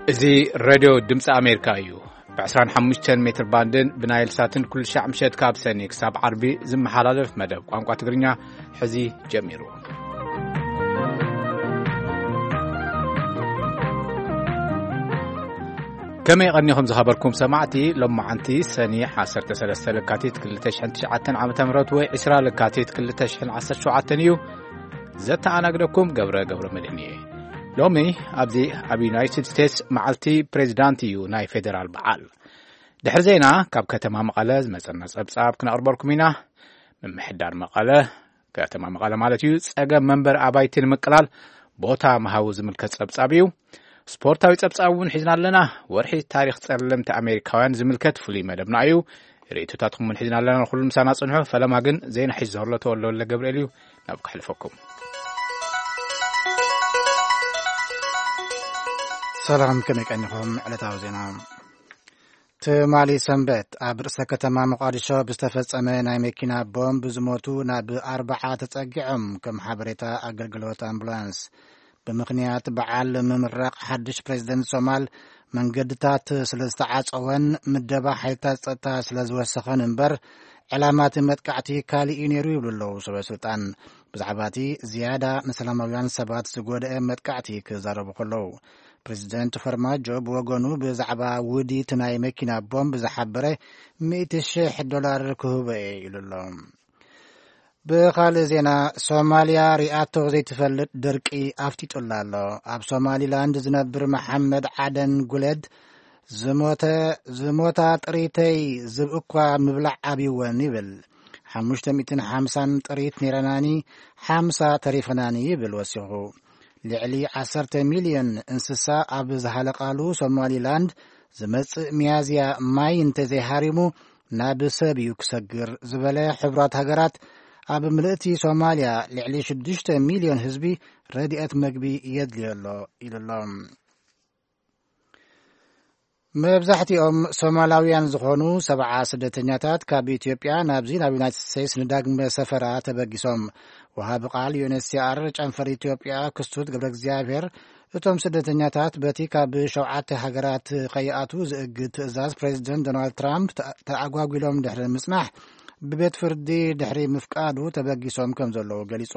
እዚ ሬድዮ ድምፂ ኣሜሪካ እዩ። ብ25 ሜትር ባንድን ብናይል ሳትን ኩሉ ሻዕ ምሸት ካብ ሰኒ ክሳብ ዓርቢ ዝመሓላለፍ መደብ ቋንቋ ትግርኛ ሕዚ ጀሚሩ። ከመይ ቀኒኹም ዝኸበርኩም ሰማዕቲ? ሎማዓንቲ ሰኒ 13 ለካቲት 2009 ዓ.ም ወይ 20 ለካቲት 2017 እዩ። ዘተኣናግደኩም ገብረ ገብረ መድህን እየ። ሎሚ ኣብዚ ኣብ ዩናይትድ ስቴትስ መዓልቲ ፕሬዚዳንት እዩ፣ ናይ ፌዴራል በዓል። ድሕሪ ዜና ካብ ከተማ መቐለ ዝመጸና ጸብጻብ ክነቕርበልኩም ኢና። ምምሕዳር መቐለ፣ ከተማ መቐለ ማለት እዩ፣ ጸገም መንበር ኣባይቲ ንምቅላል ቦታ ምሃቡ ዝምልከት ጸብጻብ እዩ። ስፖርታዊ ጸብጻብ እውን ሒዝና ኣለና። ወርሒ ታሪኽ ጸለምቲ ኣሜሪካውያን ዝምልከት ፍሉይ መደብና እዩ። ርእይቶታትኩም እውን ሒዝና ኣለና። ንኹሉ ምሳና ጽንሑ። ፈለማ ግን ዜና ሒዙ ዘሎ ተወልደ ወልደ ገብርኤል እዩ። ናብ ከሕልፈኩም። ሰላም፣ ከመይ ቀኒኹም? ዕለታዊ ዜና። ትማሊ ሰንበት ኣብ ርእሰ ከተማ ሞቃዲሾ ብዝተፈጸመ ናይ መኪና ቦምብ ዝሞቱ ናብ ኣርባዓ ተጸጊዖም፣ ከም ሓበሬታ ኣገልግሎት ኣምቡላንስ። ብምኽንያት በዓል ምምራቕ ሓድሽ ፕሬዚደንት ሶማል መንገድታት ስለ ዝተዓጸወን ምደባ ሓይልታት ጸጥታ ስለ ዝወሰኸን እምበር፣ ዕላማ እቲ መጥቃዕቲ ካልእ እዩ ነይሩ ይብሉ ኣለዉ ሰበ ስልጣን። ብዛዕባ እቲ ዝያዳ ንሰላማውያን ሰባት ዝጎድአ መጥቃዕቲ ክዛረቡ ከለዉ፣ ፕሬዚደንት ፈርማጆ ብወገኑ ብዛዕባ ውዲት ናይ መኪና ቦምብ ዝሓበረ 100,000 ዶላር ክህቦ እየ ኢሉ ኣሎ። ብኻልእ ዜና፣ ሶማልያ ሪኣቶ ዘይትፈልጥ ድርቂ ኣፍጢጡላ ኣሎ። ኣብ ሶማሊላንድ ዝነብር መሓመድ ዓደን ጉለድ ዝሞተ፣ ዝሞታ ጥሪተይ ዝብ እኳ ምብላዕ ኣብይወን ይብል። 550 ጥሪት ነይረናኒ፣ 50 ተሪፈናኒ ይብል ወሲኹ። ልዕሊ 10 ሚልዮን እንስሳ ኣብ ዝሃለቃሉ ሶማሊላንድ ዝመጽእ ሚያዝያ ማይ እንተዘይሃሪሙ ናብ ሰብ እዩ ክሰግር ዝበለ ሕቡራት ሃገራት፣ ኣብ ምልእቲ ሶማልያ ልዕሊ 6 ሚልዮን ህዝቢ ረድኤት መግቢ የድልዮ ኣሎ ኢሉ ኣሎ። መብዛሕትኦም ሶማላውያን ዝኾኑ 70 ስደተኛታት ካብ ኢትዮጵያ ናብዚ ናብ ዩናይትድ ስቴትስ ንዳግመ ሰፈራ ተበጊሶም። ወሃቢ ቃል ዩ ኤን ኤች ሲ ኣር ጨንፈር ኢትዮጵያ ክሱት ገብረ እግዚኣብሔር፣ እቶም ስደተኛታት በቲ ካብ ሸውዓተ ሃገራት ከይኣትዉ ዝእግድ ትእዛዝ ፕሬዚደንት ዶናልድ ትራምፕ ተ-፣ ተኣጓጒሎም ድሕሪ ምጽናሕ፣ ብቤት ፍርዲ ድሕሪ ምፍቃዱ ተበጊሶም ከም ዘለዉ ገሊጹ።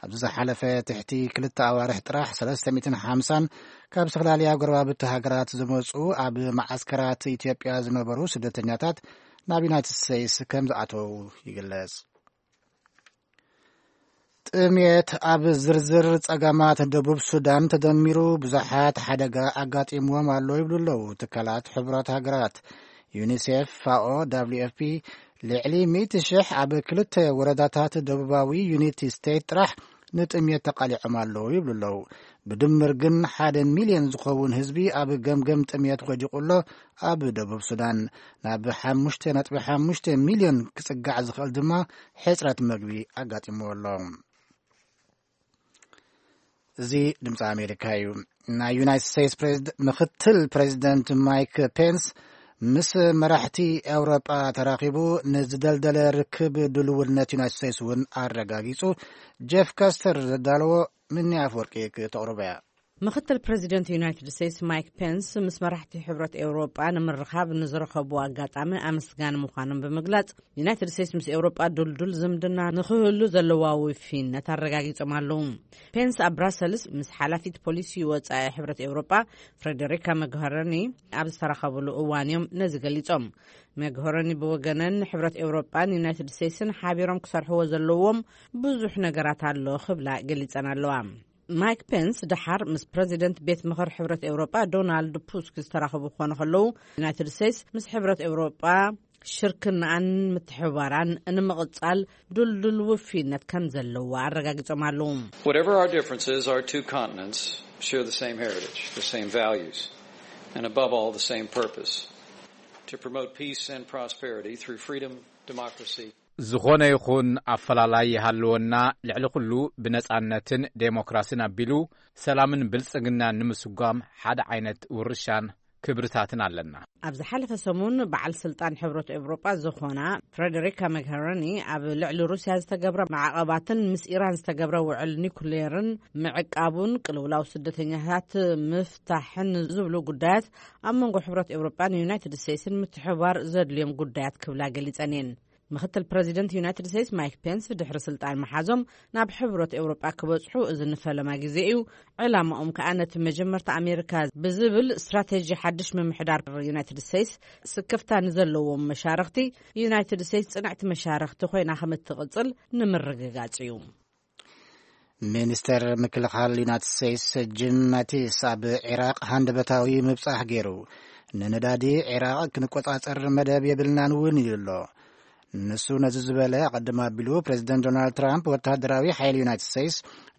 ኣብዚ ዝሓለፈ ትሕቲ ክልተ ኣዋርሕ ጥራሕ 350 ካብ ዝተፈላለያ ጎረባብቲ ሃገራት ዝመጹ ኣብ መዓስከራት ኢትዮጵያ ዝነበሩ ስደተኛታት ናብ ዩናይትድ ስቴትስ ከም ዝኣተዉ ይግለጽ። ጥምየት ኣብ ዝርዝር ጸገማት ደቡብ ሱዳን ተደሚሩ ብዙሓት ሓደጋ ኣጋጢምዎም ኣሎ ይብሉ ኣለዉ ትካላት ሕቡራት ሃገራት። ዩኒሴፍ፣ ፋኦ፣ ደብሊው ኤፍ ፒ፣ ልዕሊ 100,000 ኣብ ክልተ ወረዳታት ደቡባዊ ዩኒቲ ስቴት ጥራሕ ንጥምየት ተቓሊዖም ኣለዉ ይብሉ ኣለዉ። ብድምር ግን ሓደ ሚልዮን ዝኸውን ህዝቢ ኣብ ገምገም ጥምየት ወዲቑ ኣሎ። ኣብ ደቡብ ሱዳን ናብ 5.5 ሚልዮን ክጽጋዕ ዝኽእል ድማ ሕጽረት መግቢ ኣጋጢምዎ ኣሎ። እዚ ድምፂ ኣሜሪካ እዩ። ናይ ዩናይትድ ስቴትስ ፕሬዝድ-፣ ምክትል ፕሬዚደንት ማይክ ፔንስ ምስ መራሕቲ ኤውሮጳ ተራኺቡ ንዝደልደለ ርክብ ድልውነት ዩናይትድ ስቴትስ እውን ኣረጋጊጹ። ጄፍ ካስተር ዘዳለዎ፣ ምኒ ኣፍወርቂ ክተቕርቦ እያ። ምክትል ፕሬዚደንት ዩናይትድ ስቴትስ ማይክ ፔንስ ምስ መራሕቲ ሕብረት ኤውሮጳ ንምርኻብ ንዝረኸቡ ኣጋጣሚ ኣመስጋኒ ምዃኖም ብምግላጽ፣ ዩናይትድ ስቴትስ ምስ ኤውሮጳ ድልዱል ዝምድና ንኽህሉ ዘለዋ ውፊነት ኣረጋጊጾም ኣለዉ። ፔንስ ኣብ ብራሰልስ ምስ ሓላፊት ፖሊሲ ወጻኢ ሕብረት ኤውሮጳ ፍሬደሪካ መግሀረኒ ኣብ ዝተራኸብሉ እዋን እዮም ነዚ ገሊጾም። መግሀረኒ ብወገነን ሕብረት ኤውሮጳን ዩናይትድ ስቴትስን ሓቢሮም ክሰርሕዎ ዘለዎም ብዙሕ ነገራት ኣሎ ክብላ ገሊጸን ኣለዋ። ማይክ ፔንስ ደሓር ምስ ፕረዚደንት ቤት ምኽር ሕብረት ኤውሮጳ ዶናልድ ቱስክ ዝተራኸቡ ክኾኑ ከለዉ፣ ዩናይትድ ስቴትስ ምስ ሕብረት ኤውሮጳ ሽርክናኣን ምትሕብባራን ንምቕጻል ድልዱል ውፊነት ከም ዘለዋ ኣረጋጊጾም ኣለዉ። Whatever our differences, our two continents share the same heritage, the same values, and above all, the same purpose: to promote peace and prosperity through freedom, democracy. ዝኾነ ይኹን ኣፈላላይ ይሃልወና፣ ልዕሊ ኩሉ ብነጻነትን ዴሞክራስን ኣቢሉ ሰላምን ብልጽግናን ንምስጓም ሓደ ዓይነት ውርሻን ክብርታትን ኣለና። ኣብ ዝሓለፈ ሰሙን በዓል ስልጣን ሕብረት ኤውሮጳ ዝኾና ፍሬደሪካ መግሄረኒ ኣብ ልዕሊ ሩስያ ዝተገብረ ማዕቐባትን ምስ ኢራን ዝተገብረ ውዕል ኒኩሌርን ምዕቃቡን ቅልውላው ስደተኛታት ምፍታሕን ዝብሉ ጉዳያት ኣብ መንጎ ሕብረት ኤውሮጳን ዩናይትድ ስቴትስን ምትሕባር ዘድልዮም ጉዳያት ክብላ ገሊጸን እየን። ምክትል ፕረዚደንት ዩናይትድ ስቴትስ ማይክ ፔንስ ድሕሪ ስልጣን መሓዞም ናብ ሕብረት ኤውሮጳ ክበጽሑ እዚ ንፈለማ ግዜ እዩ። ዕላማኦም ከኣ ነቲ መጀመርታ ኣሜሪካ ብዝብል ስትራቴጂ ሓድሽ ምምሕዳር ዩናይትድ ስቴትስ ስክፍታ ንዘለዎም መሻርኽቲ ዩናይትድ ስቴትስ ጽንዕቲ መሻርኽቲ ኮይና ከም እትቕጽል ንምርግጋጽ እዩ። ሚኒስተር ምክልኻል ዩናይትድ ስቴትስ ጂም ማቲስ ኣብ ዒራቕ ሃንደበታዊ ምብጻሕ ገይሩ፣ ንነዳዲ ዒራቕ ክንቆጻጸር መደብ የብልናን እውን ኢሉ ኣሎ። ንሱ ነዚ ዝበለ ኣቐድም ኣቢሉ ፕሬዚደንት ዶናልድ ትራምፕ ወተሃደራዊ ሓይሊ ዩናይትድ ስቴትስ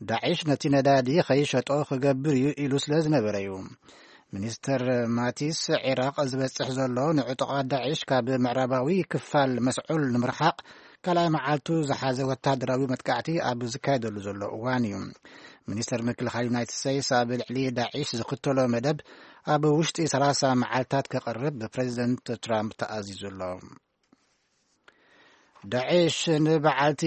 ዳዒሽ ነቲ ነዳዲ ከይሸጦ ክገብር እዩ ኢሉ ስለ ዝነበረ እዩ። ሚኒስተር ማቲስ ዒራቕ ዝበጽሕ ዘሎ ንዕጡቓት ዳዒሽ ካብ ምዕራባዊ ክፋል መስዑል ንምርሓቕ ካልኣይ መዓልቱ ዝሓዘ ወተሃደራዊ መጥቃዕቲ ኣብ ዝካየደሉ ዘሎ እዋን እዩ። ሚኒስተር ምክልኻል ዩናይትድ ስቴትስ ኣብ ልዕሊ ዳዒሽ ዝኽተሎ መደብ ኣብ ውሽጢ ሰላሳ መዓልታት ከቕርብ ብፕሬዚደንት ትራምፕ ተኣዚዙ ኣሎ። ዳዒሽ ንበዓልቲ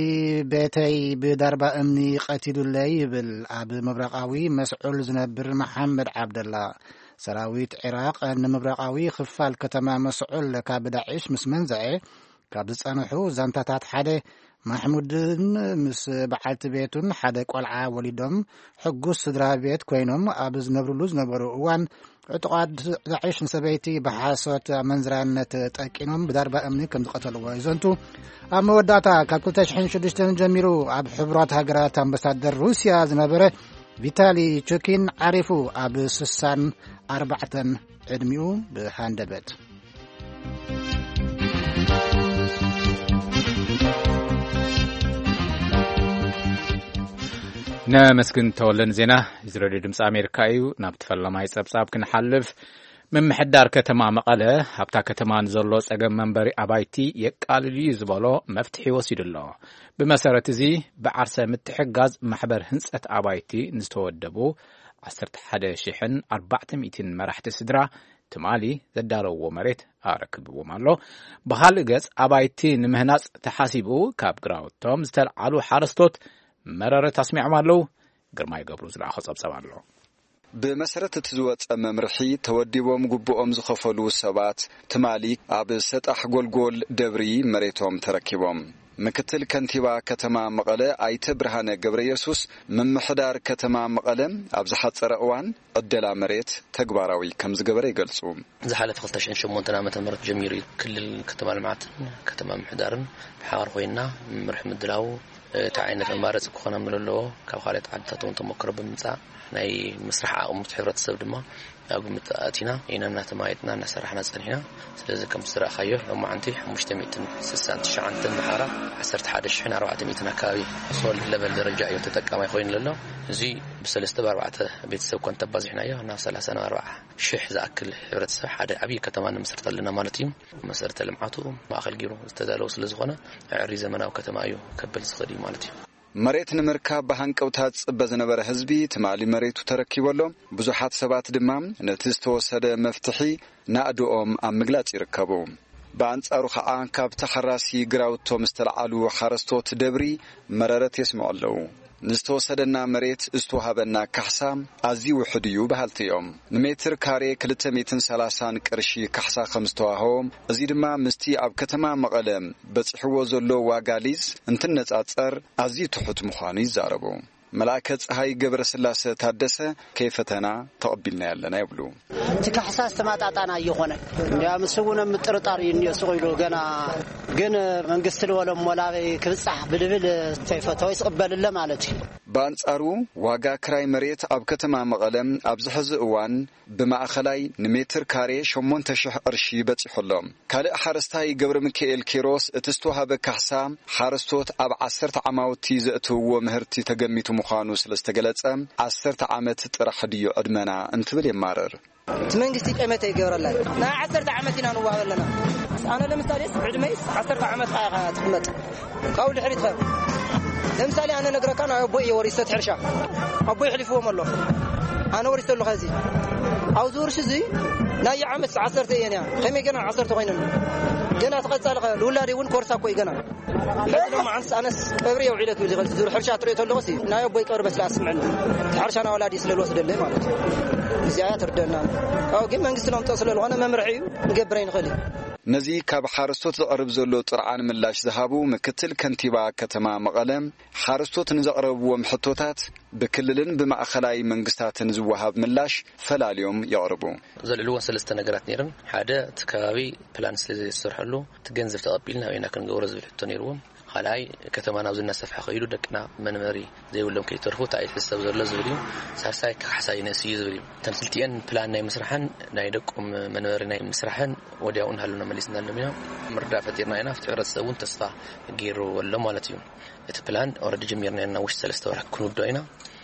ቤተይ ብዳርባ እምኒ ቀቲሉለይ ይብል ኣብ ምብራቓዊ መስዑል ዝነብር መሓመድ ዓብደላ። ሰራዊት ዒራቕ ንምብራቓዊ ክፋል ከተማ መስዑል ካብ ዳዒሽ ምስ መንዘዐ ካብ ዝጸንሑ ዛንታታት ሓደ ማሕሙድን ምስ በዓልቲ ቤቱን ሓደ ቆልዓ ወሊዶም ሕጉስ ስድራ ቤት ኮይኖም ኣብ ዝነብርሉ ዝነበሩ እዋን ዕጡቓት ዳዒሽ ንሰበይቲ ብሓሶት ኣመንዝራነት ጠቂኖም ብዳርባ እምኒ ከም ዝቐተልዎ ይዘንቱ። ኣብ መወዳእታ ካብ ክልተ ሽሕን ሽዱሽተን ጀሚሩ ኣብ ሕቡራት ሃገራት ኣምባሳደር ሩስያ ዝነበረ ቪታሊ ቹኪን ዓሪፉ ኣብ ስሳን ኣርባዕተን ዕድሚኡ ብሃንደበት። ነመስግን ተወለን ዜና። እዚ ሬድዮ ድምፂ ኣሜሪካ እዩ። ናብ ተፈለማይ ፀብፃብ ክንሓልፍ፣ ምምሕዳር ከተማ መቐለ ኣብታ ከተማ ንዘሎ ፀገም መንበሪ ኣባይቲ የቃልል እዩ ዝበሎ መፍትሒ ወሲዱ ኣሎ። ብመሰረት እዚ ብዓርሰ ምትሕጋዝ ማሕበር ህንፀት ኣባይቲ ንዝተወደቡ ዓሰርተ ሓደ ሽሕን ኣርባዕተ ሚእትን መራሕቲ ስድራ ትማሊ ዘዳለውዎ መሬት ኣረክብዎም ኣሎ። ብኻልእ ገጽ ኣባይቲ ንምህናጽ ተሓሲቡ ካብ ግራውቶም ዝተልዓሉ ሓረስቶት መረረት ኣስሚዖም ኣለዉ። ግርማይ ገብሩ ዝለኣኾ ጸብጸብ ኣሎ። ብመሰረት እቲ ዝወጸ መምርሒ ተወዲቦም ግቡኦም ዝኸፈሉ ሰባት ትማሊ ኣብ ሰጣሕ ጎልጎል ደብሪ መሬቶም ተረኪቦም። ምክትል ከንቲባ ከተማ መቐለ ኣይተ ብርሃነ ገብረ የሱስ ምምሕዳር ከተማ መቐለ ኣብ ዝሓጸረ እዋን ዕደላ መሬት ተግባራዊ ከም ዝገበረ ይገልጹ። ዝሓለፈ ክልተ ሽሕን ሸሞንተን ዓመተ ምህረት ጀሚሩ እዩ ክልል ከተማ ልምዓትን ከተማ ምሕዳርን ብሓባር ኮይና መምርሒ ምድላው፣ እቲ ዓይነት ኣማረፂ ክኾኖም ዘለዎ ካብ ካልኦት ዓድታት እውን ተሞክሮ ብምምፃእ ናይ ምስራሕ ዓቕሚ እቲ ሕብረተሰብ ድማ ኣብ ግምት ኣእቲና ኢና እናተማየጥና እናሰራሕና ፀኒሕና። ስለዚ ከምቲ ዝረኣኻዮ ሎማዓንቲ ሓሙሽተ ሚእትን ስሳን ትሽዓተን ብሓራ ዓሰርተ ሓደ ሽሕን ኣርባዕተ ሚእትን ኣካባቢ ሶል ለቨል ደረጃ እዩ ተጠቃማይ ኮይኑ ዘሎ። እዚ ብሰለስተ ብኣርባዕተ ቤተሰብ ኮን ተባዚሕናዮ ናብ ሰላሳ ናብ ኣርባዓ ሽሕ ዝኣክል ሕብረተሰብ ሓደ ዓብዪ ከተማ ንምስርት ኣለና ማለት እዩ። መሰረተ ልምዓቱ ማእኸል ገይሩ ዝተዳለወ ስለ ዝኾነ ኣዕሪ ዘመናዊ ከተማ እዩ ከብል ዝኽእል እዩ ማለት እዩ። መሬት ንምርካብ ብሃንቀውታ ዝጽበ ዝነበረ ህዝቢ ትማሊ መሬቱ ተረኪቡ ኣሎ። ብዙሓት ሰባት ድማ ነቲ ዝተወሰደ መፍትሒ ናእድኦም ኣብ ምግላጽ ይርከቡ። ብኣንጻሩ ኸዓ ካብ ተሓራሲ ግራውቶም ዝተልዓሉ ሓረስቶት ደብሪ መረረት የስምዑ ኣለዉ። ንዝተወሰደና መሬት ዝተዋህበና ካሕሳ ኣዝዩ ውሑድ እዩ በሃልቲ እዮም። ንሜትር ካሬ ክልተ ሚእትን ሰላሳን ቅርሺ ካሕሳ ከም ዝተዋህቦም፣ እዚ ድማ ምስቲ ኣብ ከተማ መቐለ በጺሕዎ ዘሎ ዋጋ ሊዝ እንትነጻጸር ኣዝዩ ትሑት ምዃኑ ይዛረቡ። መልኣከ ፀሃይ ገብረስላሰ ታደሰ ከይፈተና ተቐቢልና ያለና ይብሉ። እቲ ካሕሳ ዝተማጣጣና እየኾነ እንዲያ ምስ እውን ምጥርጣር እዩ እኒኦ ስቕ ኢሉ ገና ግን መንግስቲ ልበሎም ወላበይ ክብፃሕ ብልብል ዘይፈተወ ይስቕበልለ ማለት እዩ። ብኣንጻሩ ዋጋ ክራይ መሬት ኣብ ከተማ መቐለ ኣብዚ ሕዚ እዋን ብማእኸላይ ንሜትር ካሬ ሸሞንተ ሽሕ ቅርሺ በጺሑ ኣሎ። ካልእ ሓረስታይ ገብረ ሚካኤል ኪሮስ እቲ ዝተዋሃበ ካሕሳ ሓረስቶት ኣብ ዓሰርተ ዓማውቲ ዘእትውዎ ምህርቲ ተገሚቱ ምዃኑ ስለ ዝተገለጸ ዓሰርተ ዓመት ጥራሕ ድዩ ዕድመና እንትብል የማርር። እቲ መንግስቲ ጠመተ ይገብረላ እዩ። ናይ ዓሰርተ ዓመት ኢና ንዋሃብ ኣለና። ኣነ ለምሳሌ ዕድመይ ዓሰርተ ዓመት ኢኻ ትቕመጥ። ካብኡ ድሕሪት ኸ ለምሳሌ ኣነ ነግረካ ናይ ኣቦይ እየ ወሪሰት ሕርሻ ኣቦይ ሕሊፍዎም ኣሎ። ኣነ ወሪሰ ኣለኹ። እዚ ኣብዚ ውርሽ እዚ ናይ ዓመት ዓሰርተ እየን እያ። ከመይ ገና ዓሰርተ ኮይነን? ገና ትቐጻል ኸ? ልውላድ እውን ኮርሳ እኮ እዩ ገና። ሕዚ ድማ ኣንስ ኣነስ ቀብሪ የውዒለት እዩ ዝኸል ዙር ሕርሻ ትሪኦ ተለኹ ሲ ናይ ኣቦይ ቀብሪ በስላ ኣስምዕኒ። እቲ ሕርሻ ናወላዲ ስለ ልወስደለይ ማለት እዩ። እዚኣ እያ ትርደና። ኣው ግን መንግስቲ ለምጦ ስለ ዝኾነ መምርሒ እዩ። ንገብረ ይንኽእል እዩ። ነዚ ካብ ሓረስቶት ዝቐርብ ዘሎ ጥርዓን ምላሽ ዝሃቡ ምክትል ከንቲባ ከተማ መቐለ፣ ሓረስቶት ንዘቕረብዎም ሕቶታት ብክልልን ብማእኸላይ መንግስታትን ዝወሃብ ምላሽ ፈላልዮም የቕርቡ። ዘልዕልዎ ሰለስተ ነገራት ነይረን። ሓደ፣ እቲ ከባቢ ፕላን ስለ ዘይተሰርሐሉ፣ እቲ ገንዘብ ተቐቢልና ኣበይና ክንገብሮ ዝብል ሕቶ ነይርዎም። ካልኣይ፣ ከተማ ናብዚ እናሰፍሐ ከይዱ ደቅና መንበሪ ዘይብሎም ከይተርፉ እንታይ እዩ ዝሕሰብ ዘሎ ዝብል እዩ። ሳልሳይ፣ ካሕሳ ይነስ እዩ ዝብል እዩ። እተን ክልቲኤን ፕላን ናይ ምስራሕን ናይ ደቆም መንበሪ ናይ ምስራሕን ወዲያው ንሃሉና መሊስና ኣሎም ኢና። ምርዳእ ፈጢርና ኢና። ኣብቲ ሕብረተሰብ እውን ተስፋ ገይሩ ኣሎ ማለት እዩ። እቲ ፕላን ኦረዲ ጀሚርና ኢና። ውሽጢ ሰለስተ ወርሒ ክንውዶ ኢና።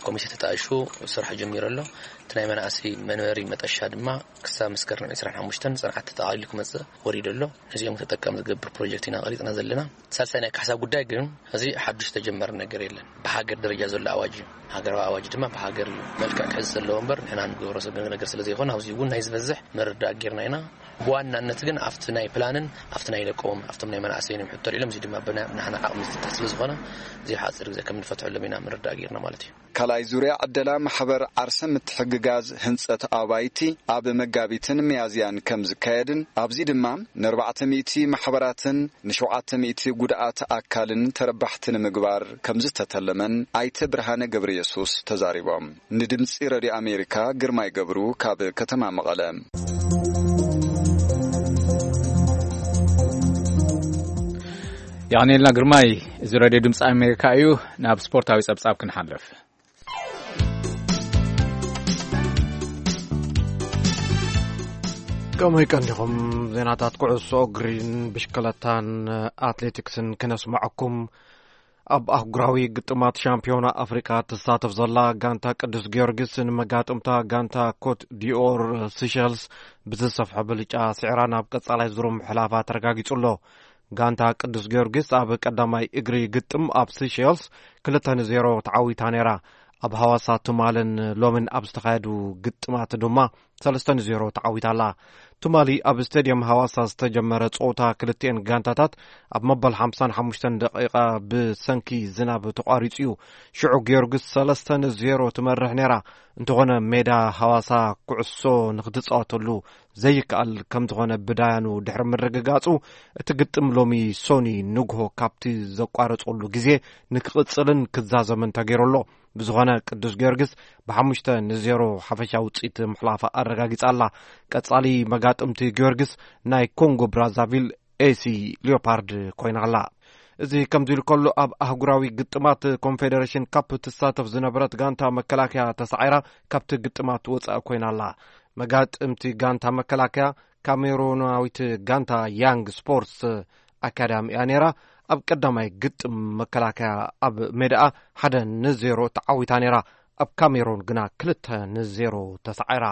ኮሚቴ ተጣይሹ ስራሕ ጀሚሩ ኣሎ። እቲ ናይ መናእሰይ መንበሪ መጠሻ ድማ ክሳብ መስከረም ዕስራን ሓሙሽተን ጽንዓት ተጠቓሊሉ ክመጽእ ወሪዱ ኣሎ። ነዚኦም ተጠቃሚ ዝገብር ፕሮጀክት ኢና ቀሪጽና ዘለና። ሳልሳይ ናይ ካሕሳ ጉዳይ ግን እዚ ሓዱሽ ተጀመረ ነገር የለን። ብሃገር ደረጃ ዘሎ ኣዋጅ እዩ። ሃገራዊ ኣዋጅ ድማ ብሃገር እዩ መልክዕ ክሕዝ ዘለዎ እምበር ንሕና ንገብሮ ሰብ ነገር ስለ ዘይኮነ ኣብዚ እውን ናይ ዝበዝሕ ምርዳእ ጌርና ኢና። ብዋናነት ግን ኣብቲ ናይ ፕላንን ኣብቲ ናይ ደቆም ኣብቶም ናይ መናእሰይን እዮም ሕቶ ኢሎም፣ እዚ ድማ ብና-፣ ብናህና ዓቕሚ ዝፍታሕ ስለ ዝኾነ እዚ ሓፂር ግዜ ከም ንፈትሐሎም ኢና ምርዳእ ጌርና ማለት እዩ። ካልኣይ ዙርያ ዕደላ ማሕበር ዓርሰ ምትሕግጋዝ ህንጸት ኣባይቲ ኣብ መጋቢትን ሚያዝያን ከም ዝካየድን ኣብዚ ድማ ንኣርባዕተ ሚእቲ ማሕበራትን ንሸውዓተ ሚእቲ ጉድኣት ኣካልን ተረባሕቲ ንምግባር ከም ዝተተለመን ኣይተ ብርሃነ ገብረ የሱስ ተዛሪቦም። ንድምጺ ረድዮ ኣሜሪካ ግርማይ ገብሩ ካብ ከተማ መቐለ። የቐኔልና ግርማይ። እዚ ረድዮ ድምፂ ኣሜሪካ እዩ። ናብ ስፖርታዊ ጸብጻብ ክንሓልፍ። ከምይ ቀንዲኹም ዜናታት ኩዕሶ እግሪን ብሽክለታን ኣትሌቲክስን ክነስምዐኩም። ኣብ ኣህጉራዊ ግጥማት ሻምፒዮና ኣፍሪቃ ትሳተፍ ዘላ ጋንታ ቅዱስ ጊዮርጊስ ንመጋጥምታ ጋንታ ኮት ዲኦር ሲሸልስ ብዝሰፍሐ ብልጫ ስዒራ ናብ ቀጻላይ ዙር ምሕላፋ ተረጋጊጹ ኣሎ። ጋንታ ቅዱስ ጊዮርጊስ ኣብ ቀዳማይ እግሪ ግጥም ኣብ ሲሸልስ ክልተ ንዜሮ ተዓዊታ ነይራ። ኣብ ሃዋሳ ትማልን ሎምን ኣብ ዝተኻየዱ ግጥማት ድማ ሰለስተ ንዜሮ ተዓዊታ ኣላ። ትማሊ ኣብ ስቴድየም ሃዋሳ ዝተጀመረ ጸወታ ክልቲኤን ጋንታታት ኣብ መበል ሓምሳን ሓሙሽተን ደቂቓ ብሰንኪ ዝናብ ተቋሪጹ እዩ። ሽዑ ጊዮርጊስ ሰለስተ ንዜሮ ትመርሕ ነይራ። እንተኾነ ሜዳ ሃዋሳ ኩዕሶ ንኽትጻወተሉ ዘይከኣል ከም ዝኾነ ብዳያኑ ድሕሪ ምርግጋጹ፣ እቲ ግጥም ሎሚ ሶኒ ንግሆ ካብቲ ዘቋረጸሉ ግዜ ንክቕጽልን ክዛዘምን ተገይሩ ኣሎ። ብዝኾነ ቅዱስ ጊዮርጊስ ብሓሙሽተ ንዜሮ ሓፈሻዊ ውጽኢት ምሕላፋ ኣረጋጊጻ ኣላ። ቀጻሊ መጋጥምቲ ጊዮርጊስ ናይ ኮንጎ ብራዛቪል ኤሲ ሊዮፓርድ ኮይና ኣላ። እዚ ከምዚ ኢሉ ከሎ፣ ኣብ ኣህጉራዊ ግጥማት ኮንፌደሬሽን ካፕ ትሳተፍ ዝነበረት ጋንታ መከላከያ ተሳዒራ ካብቲ ግጥማት ወጻኢ ኮይና ኣላ። መጋጥምቲ ጋንታ መከላከያ ካሜሩናዊት ጋንታ ያንግ ስፖርትስ ኣካዳሚ እያ ነይራ። ኣብ ቀዳማይ ግጥም መከላከያ ኣብ ሜዳኣ ሓደ ንዜሮ ተዓዊታ ነይራ። ኣብ ካሜሩን ግና ክልተ ንዜሮ ተሳዒራ።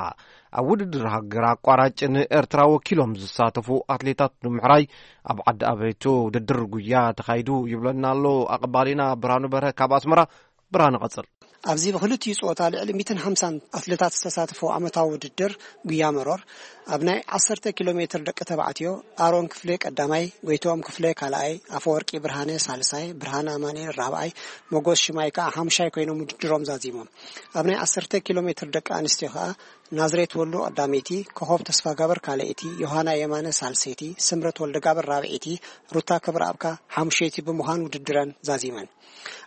ኣብ ውድድር ሃገር ኣቋራጭ ንኤርትራ ወኪሎም ዝሳተፉ ኣትሌታት ንምሕራይ ኣብ ዓዲ ኣበይቱ ውድድር ጉያ ተኻይዱ ይብለና ኣሎ ኣቐባሊና ብርሃኑ በርሀ ካብ ኣስመራ። ብርሃኑ ቀጽል። ኣብዚ ብክልቲኡ ጸወታ ልዕሊ ሚእትን ሓምሳን ኣትሌታት ዝተሳተፈው ዓመታዊ ውድድር ጉያ መሮር ኣብ ናይ ዓሰርተ ኪሎ ሜትር ደቂ ተባዕትዮ ኣሮን ክፍሌ ቀዳማይ፣ ጎይትኦም ክፍሌ ካልኣይ፣ ኣፈወርቂ ብርሃነ ሳልሳይ፣ ብርሃነ ኣማኑኤል ራብዓይ፣ ሞጎስ ሽማይ ከኣ ሓምሻይ ኮይኖም ውድድሮም ዛዚሞም። ኣብ ናይ ዓሰርተ ኪሎ ሜትር ደቂ ኣንስትዮ ከኣ ናዝሬት ወሉ ቀዳመይቲ፣ ኮኾብ ተስፋጋብር ካልኣይቲ፣ ዮሃና የማነ ሳልሰይቲ፣ ስምረት ወልደጋብር ራብዐይቲ፣ ሩታ ክብረኣብ ከኣ ሓሙሸይቲ ብምዃን ውድድረን ዛዚመን።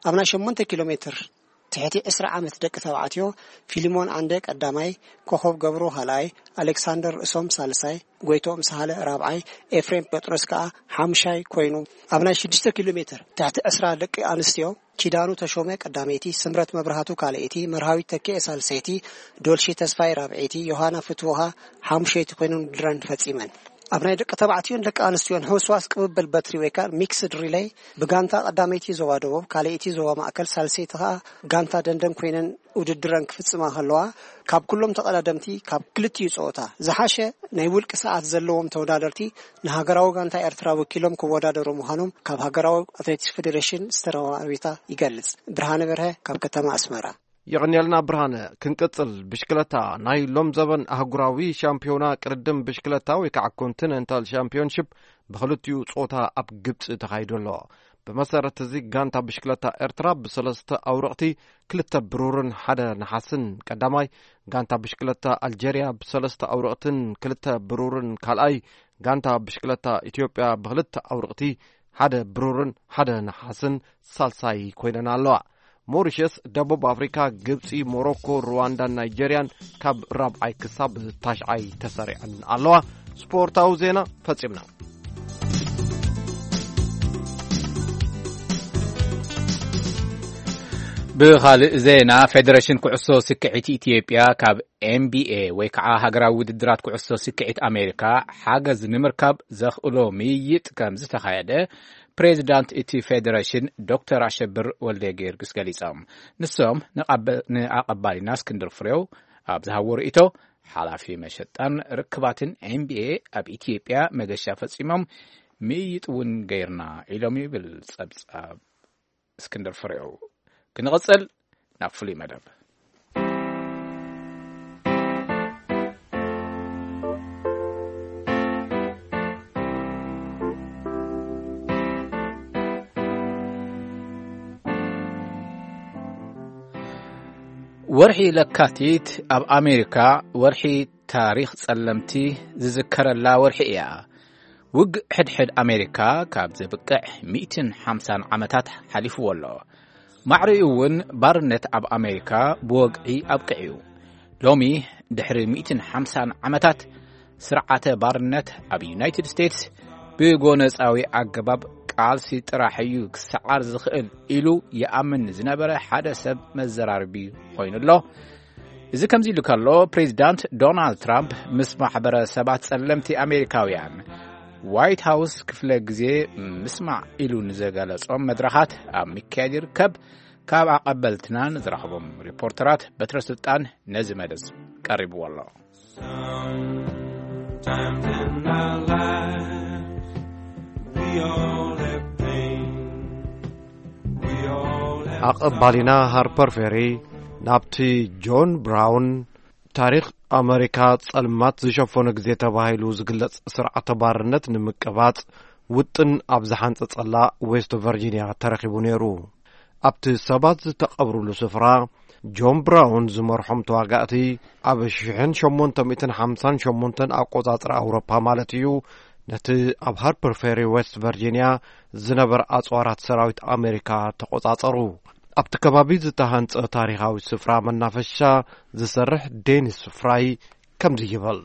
ኣብ ናይ ሸሞንተ ኪሎ ሜትር ትሕቲ ዕስራ ዓመት ደቂ ተባዕትዮ ፊሊሞን ዓንደ ቀዳማይ፣ ኮኾብ ገብሩ ካልኣይ፣ ኣሌክሳንደር ርእሶም ሳልሳይ፣ ጎይትኦም ሳህለ ራብዓይ፣ ኤፍሬም ጴጥሮስ ከኣ ሓምሻይ ኮይኑ፣ ኣብ ናይ ሽዱሽተ ኪሎ ሜትር ትሕቲ ዕስራ ደቂ ኣንስትዮ ኪዳኑ ተሾመ ቀዳመይቲ፣ ስምረት መብራህቱ ካልኣይቲ፣ መርሃዊት ተኪኤ ሳልሰይቲ፣ ዶልሺ ተስፋይ ራብዐይቲ፣ ዮሃና ፍትውሃ ሓሙሸይቲ ኮይነን ውድድረን ፈጺመን። ኣብ ናይ ደቂ ተባዕትዮን ደቂ ኣንስትዮን ሕውስዋስ ቅብብል በትሪ ወይ ከኣ ሚክስድ ሪለይ ብጋንታ ቀዳመይቲ ዞባ ደቡብ፣ ካልኣይቲ ዞባ ማእከል፣ ሳልሰይቲ ከኣ ጋንታ ደንደን ኮይነን ውድድረን ክፍጽማ ከለዋ፣ ካብ ኩሎም ተቐዳደምቲ ካብ ክልቲኡ ጸወታ ዝሓሸ ናይ ውልቂ ሰዓት ዘለዎም ተወዳደርቲ ንሃገራዊ ጋንታ ኤርትራ ወኪሎም ክወዳደሩ ምዃኖም ካብ ሃገራዊ ኣትሌቲክስ ፌዴሬሽን ዝተረኸበ ሓበሬታ ይገልጽ። ብርሃነ በርሀ ካብ ከተማ ኣስመራ። የቐንየልና ብርሃነ። ክንቅጽል፣ ብሽክለታ። ናይ ሎም ዘበን ኣህጉራዊ ሻምፒዮና ቅድድም ብሽክለታ ወይ ከዓ ኮንቲነንታል ሻምፒዮንሺፕ ብኽልቲኡ ጾታ ኣብ ግብጺ ተኻይዱ ኣሎ። ብመሰረት እዚ፣ ጋንታ ብሽክለታ ኤርትራ ብሰለስተ ኣውረቕቲ፣ ክልተ ብሩርን ሓደ ነሓስን ቀዳማይ፣ ጋንታ ብሽክለታ ኣልጀርያ ብሰለስተ ኣውረቕትን ክልተ ብሩርን ካልኣይ፣ ጋንታ ብሽክለታ ኢትዮጵያ ብኽልተ ኣውረቕቲ፣ ሓደ ብሩርን ሓደ ነሓስን ሳልሳይ ኮይነን ኣለዋ። ሞሪሸስ፣ ደቡብ ኣፍሪካ፣ ግብፂ፣ ሞሮኮ፣ ሩዋንዳን ናይጀርያን ካብ ራብዓይ ክሳብ ታሽዓይ ተሰሪዐን ኣለዋ። ስፖርታዊ ዜና ፈፂምና። ብኻልእ ዜና፣ ፌደሬሽን ኩዕሶ ስክዒት ኢትዮጵያ ካብ ኤንቢኤ ወይ ከዓ ሃገራዊ ውድድራት ኩዕሶ ስክዒት ኣሜሪካ ሓገዝ ንምርካብ ዘኽእሎ ምይይጥ ከም ዝተኻየደ ፕሬዚዳንት እቲ ፌደሬሽን ዶክተር ኣሸብር ወልደ ጊዮርጊስ ገሊጾም። ንሶም ንቐበ-፣ ንኣቐባሊና እስክንድር ፍሬው ኣብ ዝሃቦ ርእይቶ፣ ሓላፊ መሸጣን ርክባትን ኤንቢኤ ኣብ ኢትዮጵያ መገሻ ፈጺሞም፣ ምይይጥ እውን ገይርና ኢሎም ይብል ጸብጻብ እስክንድር ፍሬው። ክንቕጽል ናብ ፍሉይ መደብ። ወርሒ ለካቲት ኣብ ኣሜሪካ ወርሒ ታሪኽ ጸለምቲ ዝዝከረላ ወርሒ እያ። ውግእ ሕድሕድ ኣሜሪካ ካብ ዘብቅዕ ሚእትን ሓምሳን ዓመታት ሓሊፍዎ ኣሎ። ማዕሪኡ እውን ባርነት ኣብ ኣሜሪካ ብወግዒ ኣብቂዑ እዩ። ሎሚ ድሕሪ ሚእትን ሓምሳን ዓመታት ስርዓተ ባርነት ኣብ ዩናይትድ ስቴትስ ብጎነጻዊ ኣገባብ ቃልሲ ጥራሕ እዩ ክሰዓር ዝኽእል ኢሉ ይኣምን ዝነበረ ሓደ ሰብ መዘራረቢ ኮይኑ ኣሎ። እዚ ከምዚ ኢሉ ከሎ፣ ፕሬዚዳንት ዶናልድ ትራምፕ ምስ ማሕበረሰባት ጸለምቲ ኣሜሪካውያን ዋይት ሃውስ ክፍለ ግዜ ምስማዕ ኢሉ ንዘገለጾም መድረኻት ኣብ ምክያድ ይርከብ። ካብ ኣቐበልትና ንዝረኽቦም ሪፖርተራት በትረ ስልጣን ነዚ መደብ ቀሪብዎ ኣሎ። Sometimes in our lives, we all have pain. We all have ኣቐባሊና ሃርፐር ፌሪ ናብቲ ጆን ብራውን ታሪኽ ኣመሪካ ጸልማት ዝሸፈኖ ግዜ ተባሂሉ ዝግለጽ ስርዓተ ባርነት ንምቅባጽ ውጥን ኣብ ዝሓንጸጸላ ዌስት ቨርጂንያ ተረኺቡ ነይሩ። ኣብቲ ሰባት ዝተቐብሩሉ ስፍራ፣ ጆን ብራውን ዝመርሖም ተዋጋእቲ፣ ኣብ ሽሕን ሸሞንተ ሚእትን ሓምሳን ሸሞንተን ኣቆጻጽራ ኣውሮፓ ማለት እዩ፣ ነቲ ኣብ ሃርፐር ፌሪ ዌስት ቨርጂንያ ዝነበረ ኣጽዋራት ሰራዊት ኣሜሪካ ተቆጻጸሩ። ኣብቲ ከባቢ ዝተሃንጸ ታሪኻዊ ስፍራ መናፈሻ ዝሰርሕ ዴኒስ ፍራይ ከምዚ ይብል።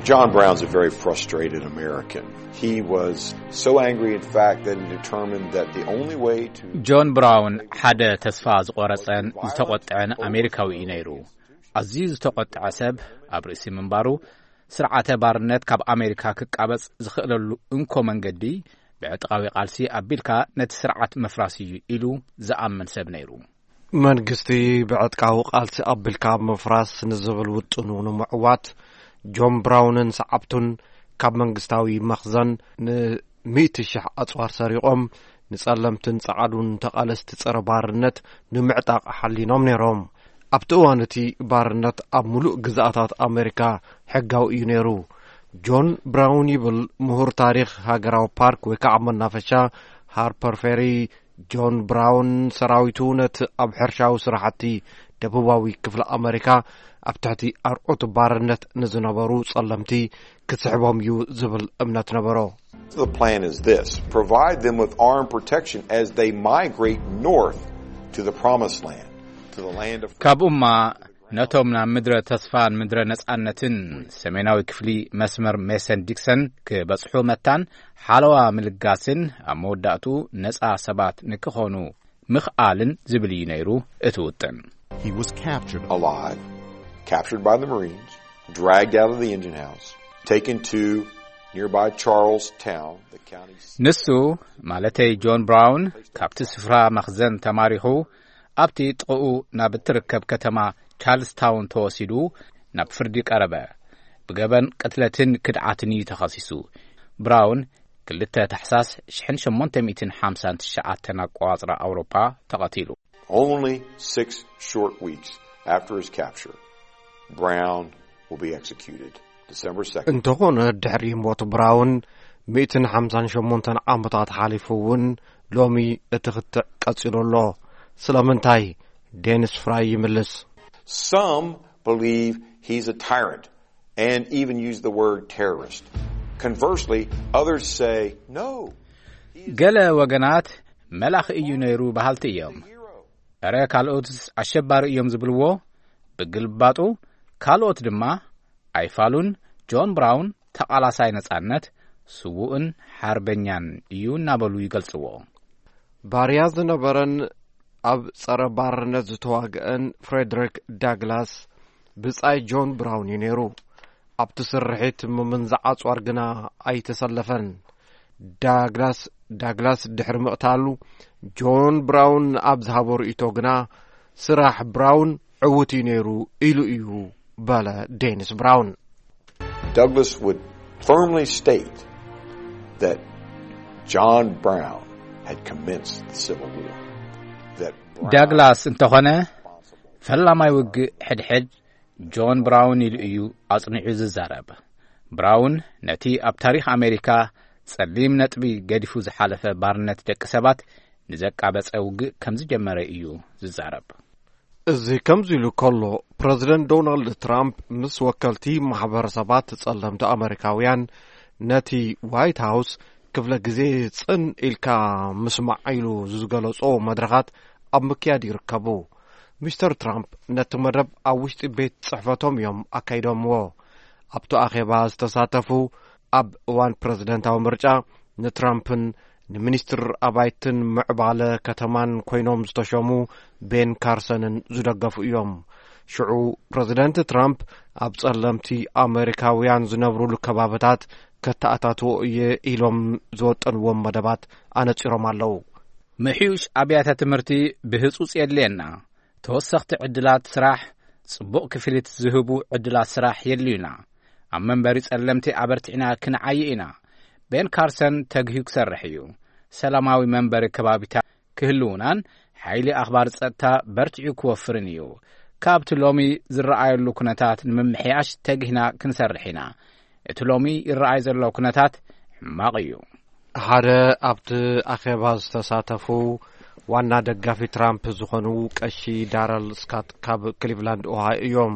John Brown's a very frustrated American. He was so angry, in fact, that he determined that the only way to ጆን ብራውን ሓደ ተስፋ ዝቆረጸን ዝተቆጥዐን ኣሜሪካዊ እዩ ነይሩ። ኣዝዩ ዝተቆጥዐ ሰብ ኣብ ርእሲ ምንባሩ፣ ስርዓተ ባርነት ካብ ኣሜሪካ ክቃበጽ ዝኽእለሉ እንኮ መንገዲ ብዕጥቃዊ ቃልሲ ኣቢልካ ነቲ ስርዓት ምፍራስ እዩ ኢሉ ዝኣምን ሰብ ነይሩ። መንግስቲ ብዕጥቃዊ ቃልሲ ኣቢልካ ምፍራስ ንዝብል ውጥኑ ንምዕዋት፣ ጆን ብራውንን ሰዓብቱን ካብ መንግስታዊ መኽዘን ንሚእቲ ሽሕ ኣጽዋር ሰሪቖም፣ ንጸለምትን ጸዓዱን ተቓለስቲ ጸረ ባርነት ንምዕጣቕ ሓሊኖም ነይሮም። ኣብቲ እዋን እቲ ባርነት ኣብ ምሉእ ግዝኣታት ኣሜሪካ ሕጋዊ እዩ ነይሩ። ጆን ብራውን ይብል ምሁር ታሪኽ ሃገራዊ ፓርክ ወይ ከዓ መናፈሻ ሃርፐር ፌሪ፣ ጆን ብራውን ሰራዊቱ ነቲ ኣብ ሕርሻዊ ስራሕቲ ደቡባዊ ክፍሊ ኣመሪካ ኣብ ትሕቲ ኣርዑት ባርነት ንዝነበሩ ጸለምቲ ክስሕቦም እዩ ዝብል እምነት ነበሮ። The plan is this: provide them with armed protection as they migrate north to the promised land, to the land of ካብኡማ ነቶም ናብ ምድረ ተስፋን ምድረ ነጻነትን ሰሜናዊ ክፍሊ መስመር ሜሰን ዲክሰን ክበጽሑ መታን ሓለዋ ምልጋስን ኣብ መወዳእቱ ነጻ ሰባት ንክኾኑ ምኽኣልን ዝብል እዩ ነይሩ እቲ ውጥን። He was captured alive, captured by the Marines, dragged out of the engine house, taken to nearby Charlestown, the county seat. ንሱ ማለተይ ጆን ብራውን ካብቲ ስፍራ መኽዘን ተማሪኹ ኣብቲ ጥቕኡ ናብ እትርከብ ከተማ ቻርልስታውን ተወሲዱ ናብ ፍርዲ ቀረበ። ብገበን ቅትለትን ክድዓትን እዩ ተኸሲሱ። ብራውን ክልተ ታሕሳስ ሽሕን ሸሞንተ ሚእትን ሓምሳን ትሽዓተን ኣቆጻጽራ ኣውሮፓ ተቐቲሉ። Only six short weeks after his capture, Brown will be executed. December second. እንተኾነ፣ ድሕሪ ሞት ብራውን ሚእትን ሓምሳን ሸሞንተን ዓመታት ሓሊፉ እውን፣ ሎሚ እቲ ክትዕ ቀጺሉ ኣሎ። ስለምንታይ? ዴኒስ ፍራይ ይምልስ። Some believe he's a tyrant and even use the word terrorist. Conversely, others say, "No, he is ገለ ወገናት፣ መላኺ እዩ ነይሩ በሃልቲ እዮም። እረ፣ ካልኦትስ ኣሸባሪ እዮም ዝብልዎ። ብግልባጡ፣ ካልኦት ድማ፣ ኣይፋሉን፣ ጆን ብራውን ተቓላሳይ ነጻነት፣ ስዉእን ሓርበኛን እዩ" እናበሉ ይገልጽዎ። ባርያ ዝነበረን ኣብ ጸረ ባርነት ዝተዋግአን ፍሬድሪክ ዳግላስ ብጻይ ጆን ብራውን እዩ ነይሩ። ኣብቲ ስርሒት ምምንዛዕ ኣጽዋር ግና ኣይተሰለፈን። ዳግላስ፣ ዳግላስ ድሕሪ ምቕታሉ፣ ጆን ብራውን ኣብ ዝሃቦ ርእይቶ ግና፣ ስራሕ ብራውን ዕዉት እዩ ነይሩ ኢሉ እዩ፣ በለ ዴኒስ ብራውን። Douglas would firmly state that John Brown had commenced the Civil War. That Brown ዳግላስ እንተኾነ፣ ፈላማይ ውግእ ሕድሕድ ጆን ብራውን ኢሉ እዩ ኣጽኒዑ ዝዛረብ። ብራውን ነቲ ኣብ ታሪኽ ኣሜሪካ ጸሊም ነጥቢ ገዲፉ ዝሓለፈ ባርነት ደቂ ሰባት ንዘቃበጸ ውግእ ከም ዝጀመረ እዩ ዝዛረብ። እዚ ከምዚ ኢሉ ከሎ፣ ፕረዚደንት ዶናልድ ትራምፕ ምስ ወከልቲ ማሕበረሰባት ጸለምቲ ኣመሪካውያን ነቲ ዋይት ሃውስ ክፍለ ግዜ ጽን ኢልካ ምስማዕ ኢሉ ዝገለጾ መድረኻት ኣብ ምክያድ ይርከቡ። ሚስተር ትራምፕ ነቲ መደብ ኣብ ውሽጢ ቤት ጽሕፈቶም እዮም ኣካይዶምዎ። ኣብቲ ኣኼባ ዝተሳተፉ፣ ኣብ እዋን ፕረዚደንታዊ ምርጫ ንትራምፕን ንሚኒስትር ኣባይትን ምዕባለ ከተማን ኮይኖም ዝተሸሙ ቤን ካርሰንን ዝደገፉ እዮም። ሽዑ ፕረዚደንት ትራምፕ፣ ኣብ ጸለምቲ ኣመሪካውያን ዝነብሩሉ ከባብታት ከተኣታትዎ እየ ኢሎም ዝወጠንዎም መደባት ኣነጺሮም ኣለዉ። ምሕዩሽ ኣብያተ ትምህርቲ ብህጹጽ የድልየና። ተወሰኽቲ ዕድላት ስራሕ፣ ጽቡቕ ክፍሊት ዝህቡ ዕድላት ስራሕ የድልዩና። ኣብ መንበሪ ጸለምቲ ኣበርቲዕና ክንዓዪ ኢና። ቤን ካርሰን ተግሂዩ ክሰርሕ እዩ። ሰላማዊ መንበሪ ከባቢታት ክህልዉናን ሓይሊ ኣኽባር ጸጥታ በርቲዑ ክወፍርን እዩ። ካብቲ ሎሚ ዝረኣየሉ ኩነታት ንምምሕያሽ ተጊህና ክንሰርሕ ኢና። እቲ ሎሚ ይረኣይ ዘሎ ኩነታት ሕማቕ እዩ። ሓደ ኣብቲ ኣኼባ ዝተሳተፉ ዋና ደጋፊ ትራምፕ ዝኾኑ ቀሺ ዳረል ስካት ካብ ክሊቭላንድ ኦሃዮ እዮም።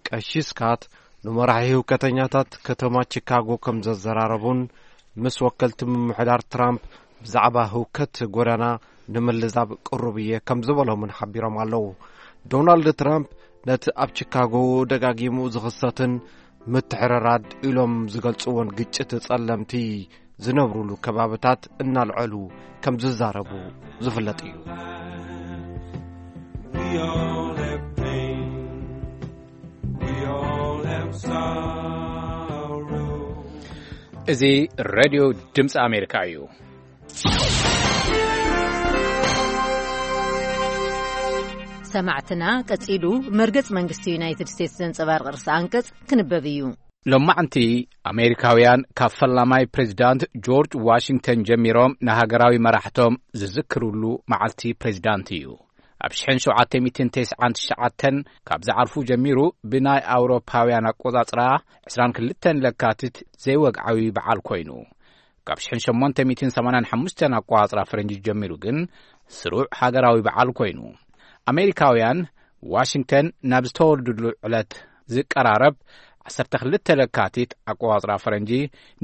ቀሺ ስካት ንመራሒ ህውከተኛታት ከተማ ቺካጎ ከም ዘዘራረቡን ምስ ወከልቲ ምምሕዳር ትራምፕ ብዛዕባ ህውከት ጎዳና ንምልዛብ ቅሩብ እየ ከም ዝበሎምን ሓቢሮም ኣለዉ። ዶናልድ ትራምፕ ነቲ ኣብ ቺካጎ ደጋጊሙ ዝኽሰትን ምትሕርራድ ኢሎም ዝገልጽዎን ግጭት ጸለምቲ ዝነብሩሉ ከባብታት እናልዐሉ ከም ዝዛረቡ ዝፍለጥ እዩ። We all have pain. We all have sorrow. እዚ ሬድዮ ድምፂ ኣሜሪካ እዩ። ሰማዕትና፣ ቀጺሉ መርገጽ መንግስቲ ዩናይትድ ስቴትስ ዘንጸባርቕ ርእሰ ኣንቀጽ ክንበብ እዩ። ሎማዕንቲ ኣሜሪካውያን ካብ ፈላማይ ፕሬዚዳንት ጆርጅ ዋሽንግተን ጀሚሮም ንሃገራዊ መራሕቶም ዝዝክሩሉ መዓልቲ ፕሬዚዳንት እዩ። ኣብ ሽሕን ሸውዓተ ሚእትን ተስዓን ትሽዓተን ካብ ዝዓርፉ ጀሚሩ ብናይ ኣውሮፓውያን ኣቆጻጽራ ዕስራን ክልተን ለካቲት ዘይወግዓዊ በዓል ኮይኑ፣ ካብ ሽሕን ሸሞንተ ሚእትን ሰማንያን ሓሙሽተን ኣቆጻጽራ ፈረንጂ ጀሚሩ ግን ስሩዕ ሃገራዊ በዓል ኮይኑ፣ ኣሜሪካውያን ዋሽንግተን ናብ ዝተወልዱሉ ዕለት ዝቀራረብ ዓሰርተ ክልተ ለካቲት ኣቆጻጽራ ፈረንጂ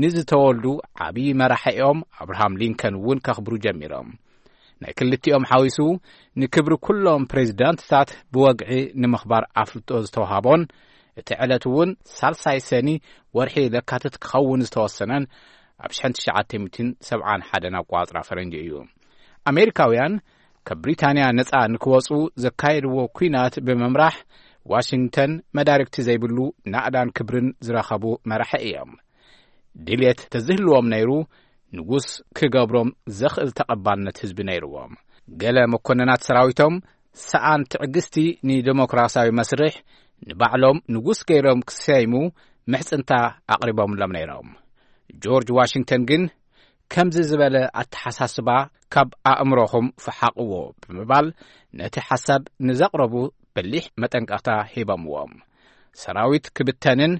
ንዝተወልዱ ዓብዪ መራሒኦም ኣብርሃም ሊንከን እውን ከኽብሩ ጀሚሮም። ናይ ክልቲኦም ሓዊሱ ንክብሪ ኩሎም ፕሬዚዳንትታት ብወግዒ ንምኽባር ኣፍልጦ ዝተውሃቦን እቲ ዕለት እውን ሳልሳይ ሰኒ ወርሒ ለካቲት ክኸውን ዝተወሰነን ኣብ ሽሕን ትሽዓተ ሚእትን ሰብዓን ሓደን ኣቆጻጽራ ፈረንጂ እዩ። ኣሜሪካውያን ካብ ብሪታንያ ነጻ ንክወጹ ዘካየድዎ ኲናት ብምምራሕ ዋሽንግተን መዳርግቲ ዘይብሉ ናእዳን ክብርን ዝረኸቡ መራሒ እዮም። ድልየት ተዝህልዎም ነይሩ፣ ንጉስ ክገብሮም ዘኽእል ተቐባልነት ህዝቢ ነይርዎም። ገለ መኮንናት ሰራዊቶም ሰኣን ትዕግስቲ ንዴሞክራሲያዊ መስርሕ ንባዕሎም ንጉስ ገይሮም ክሰይሙ ምሕጽንታ ኣቕሪቦምሎም ነይሮም። ጆርጅ ዋሽንግተን ግን ከምዚ ዝበለ ኣተሓሳስባ ካብ ኣእምሮኹም ፍሓቕዎ ብምባል ነቲ ሓሳብ ንዘቕረቡ በሊሕ መጠንቀቕታ ሂቦምዎም። ሰራዊት ክብተንን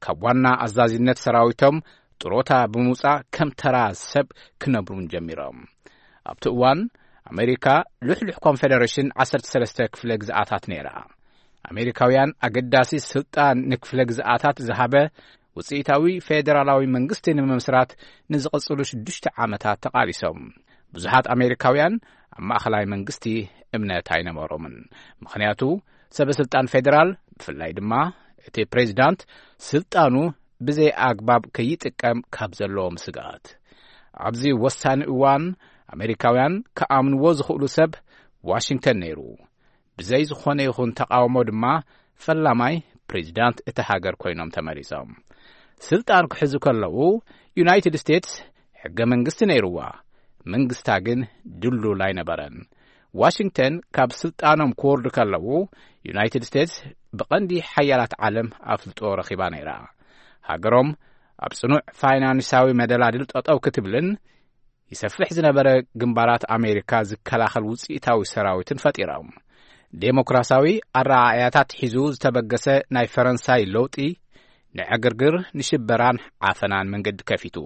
ካብ ዋና ኣዛዚነት ሰራዊቶም ጥሮታ ብምውጻእ ከም ተራ ሰብ ክነብሩን ጀሚሮም። ኣብቲ እዋን ኣሜሪካ ልሕልሕ ኮንፌደሬሽን ዓሰርተ ሰለስተ ክፍለ ግዝኣታት ነይራ። ኣሜሪካውያን ኣገዳሲ ስልጣን ንክፍለ ግዝኣታት ዝሃበ ውጽኢታዊ ፌደራላዊ መንግስቲ ንምምስራት ንዝቐጽሉ ሽዱሽተ ዓመታት ተቓሊሶም። ብዙሓት ኣሜሪካውያን ኣብ ማእኸላይ መንግስቲ እምነት ኣይነበሮምን። ምኽንያቱ ሰበ ስልጣን ፌደራል፣ ብፍላይ ድማ እቲ ፕሬዚዳንት፣ ስልጣኑ ብዘይ ኣግባብ ከይጥቀም ካብ ዘለዎም ስግኣት። ኣብዚ ወሳኒ እዋን ኣሜሪካውያን ክኣምንዎ ዝኽእሉ ሰብ ዋሽንግተን ነይሩ። ብዘይ ዝኾነ ይኹን ተቓውሞ ድማ ፈላማይ ፕሬዚዳንት እታ ሃገር ኮይኖም ተመሪጾም። ስልጣን ክሕዙ ከለዉ ዩናይትድ ስቴትስ ሕገ መንግስቲ ነይርዋ፣ መንግስታ ግን ድሉል ኣይነበረን። ዋሽንግተን ካብ ስልጣኖም ክወርዱ ከለዉ ዩናይትድ ስቴትስ ብቐንዲ ሓያላት ዓለም ኣፍልጦ ረኺባ ነይራ። ሃገሮም ኣብ ጽኑዕ ፋይናንሳዊ መደላድል ጠጠው ክትብልን ይሰፍሕ ዝነበረ ግንባራት ኣሜሪካ ዝከላኸል ውጽኢታዊ ሰራዊትን ፈጢሮም። ዴሞክራሲያዊ ኣረኣእያታት ሒዙ ዝተበገሰ ናይ ፈረንሳይ ለውጢ ንዕግርግር፣ ንሽበራን ዓፈናን መንገዲ ከፊቱ።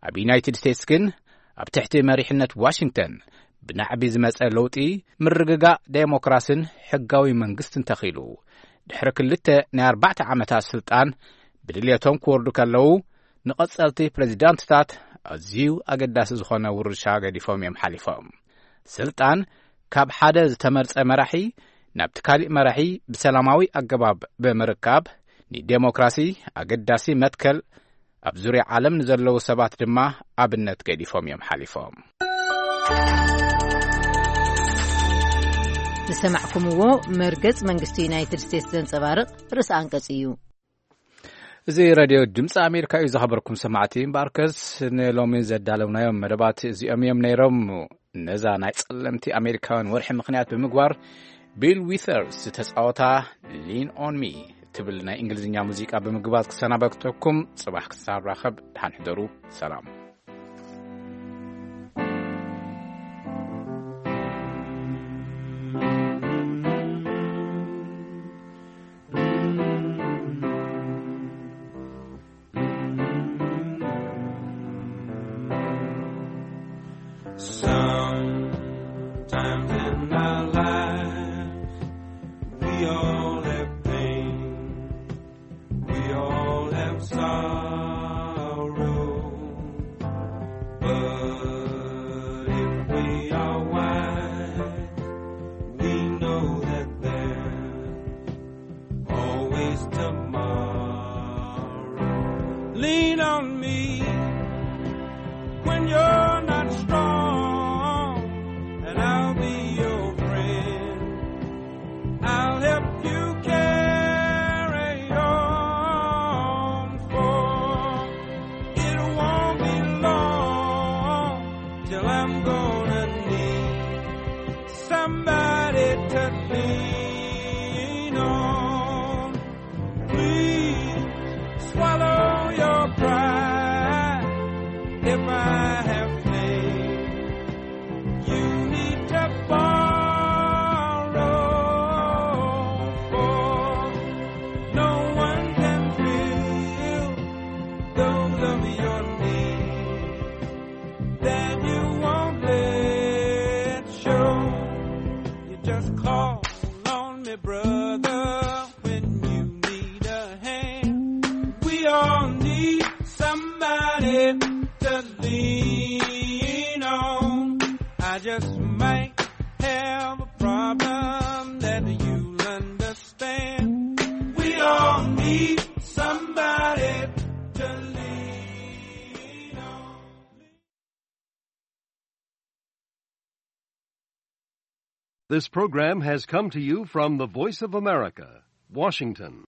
ኣብ ዩናይትድ ስቴትስ ግን ኣብ ትሕቲ መሪሕነት ዋሽንግተን ብናዕቢ ዝመጸ ለውጢ ምርግጋእ ዴሞክራስን ሕጋዊ መንግስትን ተኺሉ። ድሕሪ ክልተ ናይ ኣርባዕተ ዓመታት ስልጣን ብድልየቶም ክወርዱ ከለዉ ንቐጸልቲ ፕሬዚዳንትታት ኣዝዩ ኣገዳሲ ዝኾነ ውርሻ ገዲፎም እዮም ሓሊፎም። ስልጣን ካብ ሓደ ዝተመርጸ መራሒ ናብቲ ካሊእ መራሒ ብሰላማዊ ኣገባብ ብምርካብ ንዴሞክራሲ ኣገዳሲ መትከል ኣብ ዙርያ ዓለም ንዘለዉ ሰባት ድማ ኣብነት ገዲፎም እዮም ሓሊፎም። ዝሰማዕኩምዎ መርገጽ መንግስቲ ዩናይትድ ስቴትስ ዘንጸባርቕ ርእሰ ኣንቀጽ እዩ። እዚ ሬድዮ ድምፂ ኣሜሪካ እዩ። ዝኸበርኩም ሰማዕቲ እምበኣርከስ ንሎሚ ዘዳለውናዮም መደባት እዚኦም እዮም ነይሮም። ነዛ ናይ ጸለምቲ ኣሜሪካውያን ወርሒ ምኽንያት ብምግባር ቢል ዊተርስ ዝተጻወታ ሊን ኦን ሚ ትብል ናይ እንግሊዝኛ ሙዚቃ ብምግባዝ ክሰናበተኩም። ጽባሕ ክሳብ ራኸብ ደሓን ሕደሩ። ሰላም። Sometimes in our lives, we all have pain, we all have sorrow. But if we are wise, we know that there's always tomorrow. Lean on me when you're not strong, and I'll be your friend. I'll help you carry on, for it won't be long till I'm gonna need somebody to lean on. Please swallow your pride. If I have failed, you need to borrow, for no one can fill those of your needs that you won't let show. You just call on me, brother, when you need a hand. We all need somebody to lean on. I just might have a problem that you'll understand. We all need somebody to lean on. This program has come to you from the Voice of America, Washington.